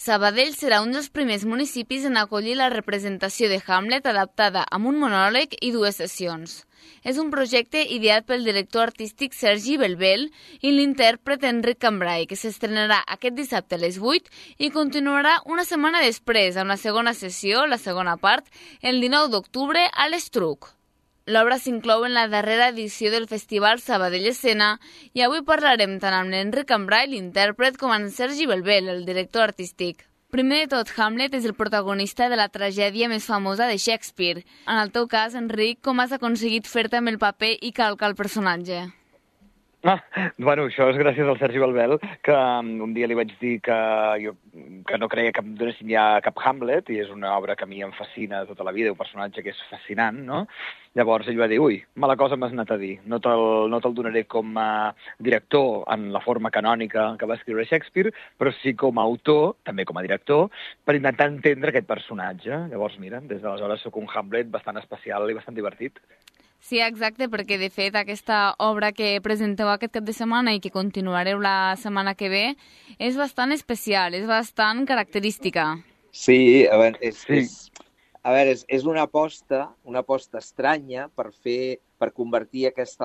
Sabadell serà un dels primers municipis en acollir la representació de Hamlet adaptada amb un monòleg i 2 sessions. És un projecte ideat pel director artístic Sergi Belbel i l'intèrpret Enric Cambrai, que s'estrenarà aquest dissabte a les 8 i continuarà una setmana després amb la segona sessió, la segona part, el 19 d'octubre a l'Estruc. L'obra s'inclou en la darrera edició del Festival Sabadell Escena i avui parlarem tant amb l'Enric Cambrai, l'intèrpret, com amb Sergi Belbel, el director artístic. Primer de tot, Hamlet és el protagonista de la tragèdia més famosa de Shakespeare. En el teu cas, Enric, com has aconseguit fer-te amb el paper i calcar el personatge? Bueno, això és gràcies al Sergi Belbel, que un dia li vaig dir que no creia que em donessin ja cap Hamlet, i és una obra que a mi em fascina tota la vida, un personatge que és fascinant, no? Llavors ell va dir, ui, mala cosa m'has anat a dir, no te'l donaré com a director en la forma canònica que va escriure Shakespeare, però sí com a autor, també com a director, per intentar entendre aquest personatge. Llavors, mira, des d'aleshores soc un Hamlet bastant especial i bastant divertit. Sí, exacte, perquè de fet aquesta obra que presenteu aquest cap de setmana i que continuareu la setmana que ve és bastant especial, és bastant característica. Sí, a veure, és una aposta estranya per convertir aquesta,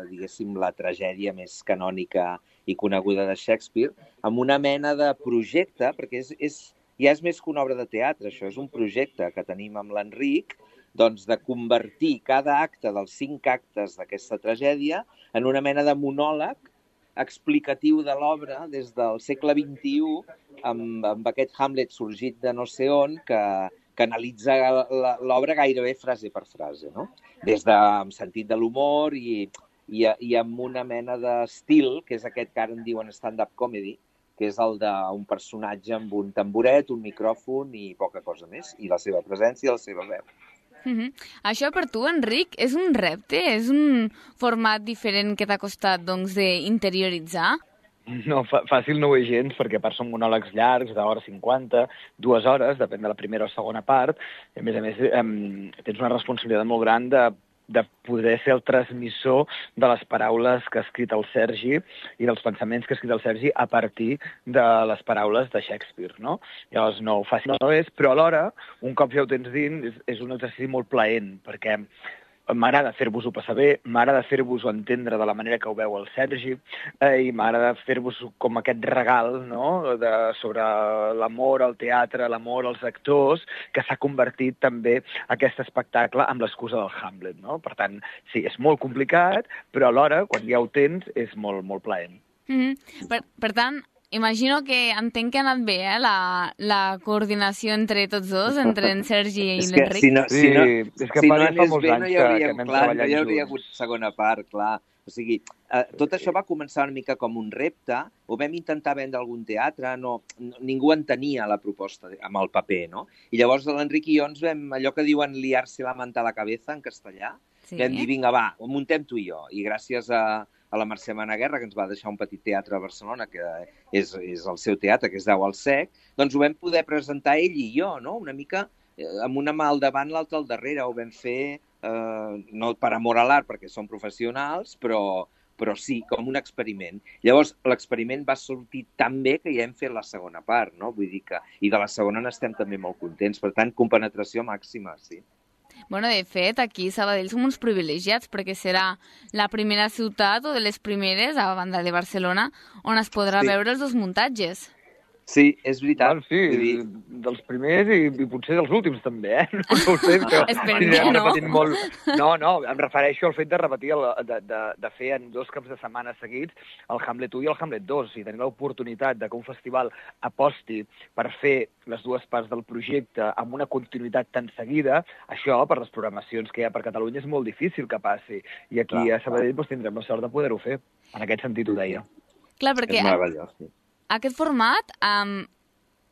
diguéssim, la tragèdia més canònica i coneguda de Shakespeare en una mena de projecte, perquè ja és més que una obra de teatre, això és un projecte que tenim amb l'Enric, doncs de convertir cada acte dels 5 actes d'aquesta tragèdia en una mena de monòleg explicatiu de l'obra des del segle XXI amb aquest Hamlet sorgit de no sé on que analitza l'obra gairebé frase per frase, no? Des amb sentit de l'humor i amb una mena d'estil, que és aquest que ara en diuen stand-up comedy, que és el d'un personatge amb un tamboret, un micròfon i poca cosa més, i la seva presència i la seva veu. Això per tu, Enric, és un repte? És un format diferent que t'ha costat, doncs, d'interioritzar? No, fàcil no ho és gens, perquè a part són monòlegs llargs, d'hora 50, 2 hores, depèn de la primera o segona part. A més, tens una responsabilitat molt gran de poder ser el transmissor de les paraules que ha escrit el Sergi i dels pensaments que ha escrit el Sergi a partir de les paraules de Shakespeare, no? Llavors, no, fàcil no és, però alhora, un cop ja ho tens dins, és un exercici molt plaent, perquè m'agrada fer-vos-ho passar bé, m'agrada fer-vos-ho entendre de la manera que ho veu el Sergi i m'agrada fer-vos com aquest regal, no?, sobre l'amor al teatre, l'amor als actors, que s'ha convertit també aquest espectacle amb l'excusa del Hamlet, no? Per tant, sí, és molt complicat, però alhora, quan ja ho tens, és molt, molt plaent. Per tant, imagino que entenc que ha anat bé, la coordinació entre tots dos, entre en Sergi i l'Enric. Si no anés bé, no hi hauria hagut segona part, clar. O sigui, tot això va començar una mica com un repte, ho vam intentar vendre a algun teatre, ningú entenia la proposta amb el paper, no? I llavors l'Enric i jo ens vam, allò que diuen liar-se la manta a la cabeza en castellà, vam dir, vinga, va, ho muntem tu i jo. I gràcies a la Mercè Managuerra, que ens va deixar un petit teatre a Barcelona, que és el seu teatre, que es deu al Sec, doncs ho vam poder presentar ell i jo, no? Una mica amb una mà al davant, l'altra al darrere. Ho vam fer, no per amor a l'art, perquè som professionals, però sí, com un experiment. Llavors, l'experiment va sortir tan bé que ja hem fet la segona part, no? Vull dir que... I de la segona n'estem també molt contents. Per tant, compenetració màxima, sí. Bueno, de fet, aquí a Sabadell som uns privilegiats perquè serà la primera ciutat o de les primeres, a banda de Barcelona, on es podrà veure els 2 muntatges. Sí, és veritat. Bueno, sí, dels primers i potser dels últims també, No ho sé, però... Esperem que no. Molt... No, em refereixo al fet de repetir, de fer en 2 caps de setmana seguits el Hamlet 1 i el Hamlet 2, i tenir l'oportunitat que un festival aposti per fer les 2 parts del projecte amb una continuïtat tan seguida, això, per les programacions que hi ha per Catalunya, és molt difícil que passi. I aquí a Sabadell tindrem la sort de poder-ho fer. En aquest sentit ho deia. Clar, perquè... És meravellós, sí. Aquest format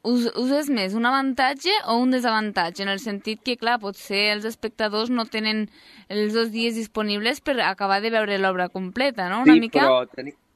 us és més un avantatge o un desavantatge? En el sentit que, clar, potser els espectadors no tenen els 2 dies disponibles per acabar de veure l'obra completa, no? Sí, però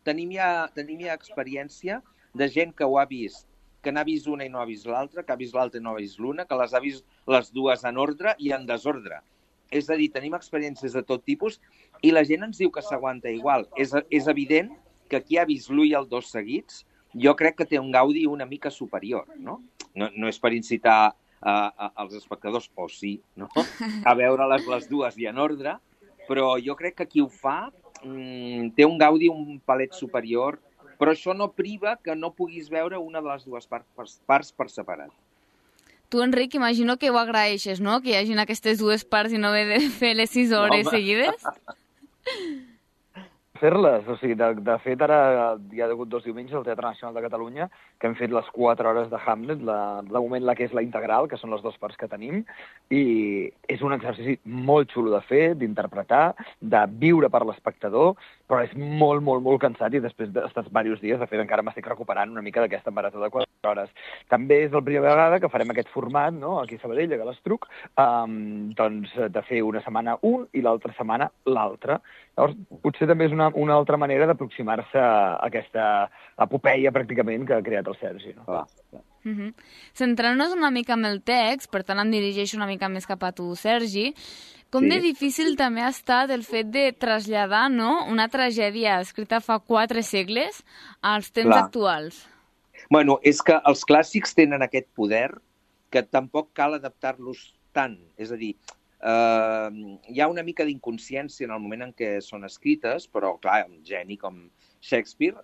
tenim ja experiència de gent que ho ha vist, que n'ha vist una i no ha vist l'altra, que ha vist l'altra i no ha vist l'una, que les ha vist les 2 en ordre i en desordre. És a dir, tenim experiències de tot tipus i la gent ens diu que s'aguanta igual. És evident que qui ha vist l'1 i el 2 seguits jo crec que té un gaudi una mica superior, no? No és per incitar als espectadors, o sí, no? A veure-les les dues i en ordre, però jo crec que qui ho fa té un gaudi un palet superior, però això no priva que no puguis veure una de les dues parts per separat. Tu, Enric, imagino que ho agraeixes, no?, que hi hagin aquestes dues parts i no haver de fer les 6 hores seguides. Fer-les, o sigui, de fet ara hi ha hagut 2 diumenges al Teatre Nacional de Catalunya que hem fet les 4 hores de Hamlet, de moment la que és la integral, que són les 2 parts que tenim, i és un exercici molt xulo de fer, d'interpretar, de viure per l'espectador, però és molt, molt, molt cansat i després d'estar diversos dies, de fet encara m'estic recuperant una mica d'aquesta marató de 4 hores. També és la primera vegada que farem aquest format, no?, aquí a Sabadell, a Galastruc, doncs de fer una setmana un i l'altra setmana l'altra. Llavors, potser també és una altra manera d'aproximar-se a aquesta epopeia, pràcticament, que ha creat el Sergi. No? Centrant-nos una mica en el text, per tant em dirigeixo una mica més cap a tu, Sergi, com de difícil també ha estat el fet de traslladar, no?, una tragèdia escrita fa 4 segles als temps actuals. Bueno, és que els clàssics tenen aquest poder que tampoc cal adaptar-los tant. És a dir, hi ha una mica d'inconsciència en el moment en què són escrites, però, clar, un geni com Shakespeare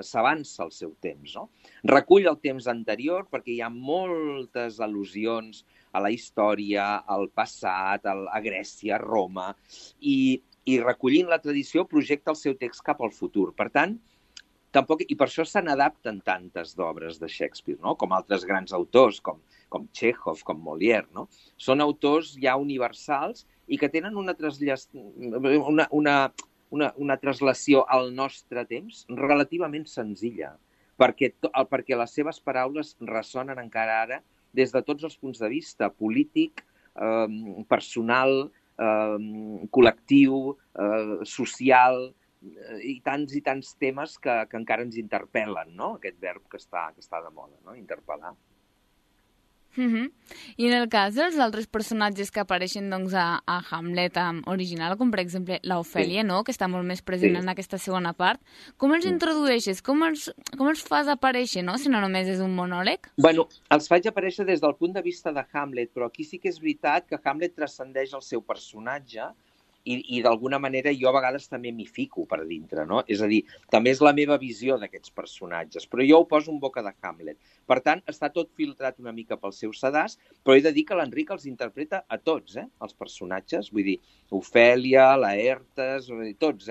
s'avança al seu temps, no? Recull el temps anterior perquè hi ha moltes al·lusions a la història, al passat, a Grècia, a Roma, i recollint la tradició projecta el seu text cap al futur. Per tant, i per això se n'adapten tantes d'obres de Shakespeare, no?, com altres grans autors, com Chekhov, com Molière, no? Són autors ja universals i que tenen una traslació al nostre temps relativament senzilla, perquè les seves paraules ressonen encara ara des de tots els punts de vista, polític, personal, col·lectiu, social, i tants temes que encara ens interpel·len, no?, aquest verb que està de moda, no?, interpel·lar. I en el cas dels altres personatges que apareixen doncs, a Hamlet original, com per exemple l'Ofèlia, no?, que està molt més present en aquesta segona part, com els introdueixes? Com els fas aparèixer, no?, si no només és un monòleg? Bueno, els faig aparèixer des del punt de vista de Hamlet, però aquí sí que és veritat que Hamlet transcendeix el seu personatge i d'alguna manera jo a vegades també m'hi fico per dintre, no? És a dir, també és la meva visió d'aquests personatges, però jo ho poso en boca de Hamlet. Per tant, està tot filtrat una mica pel seu sedàs, però he de dir que l'Enric els interpreta a tots, els personatges. Vull dir, Ofèlia, Laertes, tots,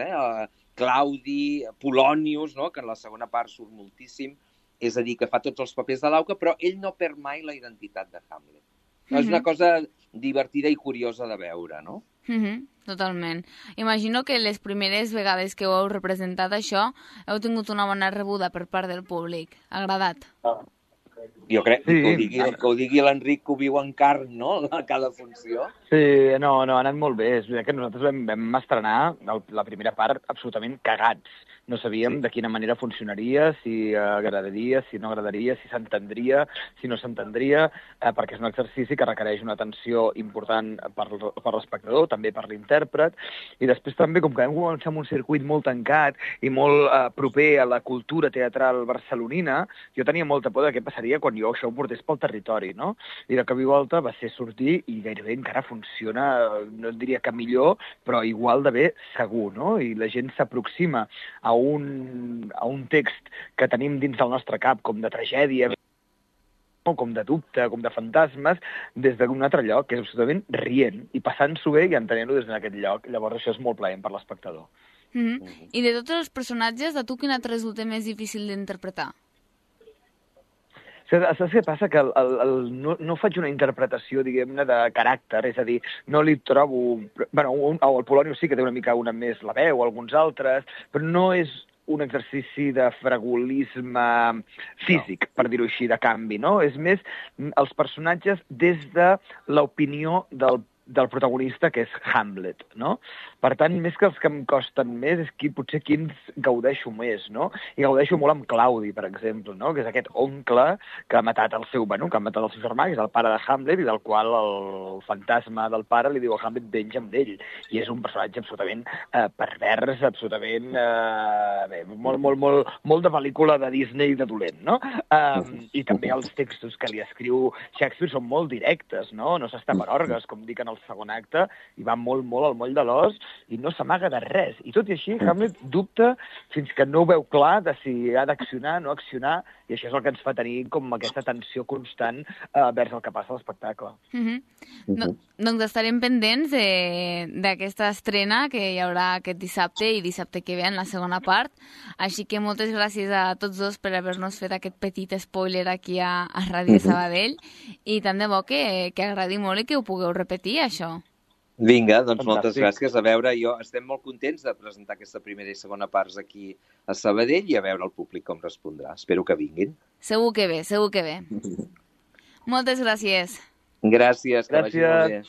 Claudi, Polonius, no?, que en la segona part surt moltíssim, és a dir, que fa tots els papers de l'auca, però ell no perd mai la identitat de Hamlet. És una cosa divertida i curiosa de veure, no? Totalment. Imagino que les primeres vegades que ho heu representat això heu tingut una bona rebuda per part del públic. Agradat? Jo crec que ho digui l'Enric, que ho viu en carn, no?, a cada funció. Sí, no, ha anat molt bé. És veritat que nosaltres vam estrenar la primera part absolutament cagats. No sabíem de quina manera funcionaria, si agradaria, si no agradaria, si s'entendria, si no s'entendria, perquè és un exercici que requereix una atenció important per l'espectador, també per l'intèrpret, i després també, com que vam començar amb un circuit molt tancat i molt proper a la cultura teatral barcelonina, jo tenia molta por de què passaria quan jo això ho portés pel territori, no? I de cop i volta va ser sortir i gairebé encara funciona, no diria que millor, però igual de bé segur, no? I la gent s'aproxima a un text que tenim dins del nostre cap com de tragèdia, com de dubte, com de fantasmes, des d'un altre lloc, que és absolutament rient, i passant-s'ho bé i entenent-ho des d'aquest lloc. Llavors això és molt plaent per l'espectador. I de tots els personatges, a tu quin et resulta més difícil d'interpretar? Saps què passa? Que no faig una interpretació, diguem-ne, de caràcter, és a dir, no li trobo... Bueno, el Polonius sí que té una mica més la veu, alguns altres, però no és un exercici de fragolisme físic, per dir-ho així, de canvi, no? És més els personatges des de l'opinió del del protagonista, que és Hamlet, no? Per tant, més que els que em costen més, és potser quins gaudeixo més, no? I gaudeixo molt amb Claudi, per exemple, no? Que és aquest oncle que ha matat el seu germà, que és el pare de Hamlet, i del qual el fantasma del pare li diu a Hamlet venja'm d'ell. I és un personatge absolutament pervers, absolutament molt de pel·lícula de Disney de dolent, no? I també els textos que li escriu Shakespeare són molt directes, no? No s'està per orgues, com dic en el segon acte, i va molt al moll de l'os, i no s'amaga de res. I tot i així, Hamlet dubta fins que no ho veu clar de si ha d'accionar, no accionar, i això és el que ens fa tenir com aquesta tensió constant vers el que passa a l'espectacle. Doncs estarem pendents d'aquesta estrena que hi haurà aquest dissabte i dissabte que ve en la segona part. Així que moltes gràcies a tots dos per haver-nos fet aquest petit spoiler aquí a Ràdio Sabadell, i tant de bo que agradi molt i que ho pugueu repetir, això. Vinga, doncs moltes gràcies. A veure, estem molt contents de presentar aquesta primera i segona parts aquí a Sabadell i a veure el públic com respondrà. Espero que vinguin. Segur que ve. Moltes gràcies. Gràcies, que vagi molt bé.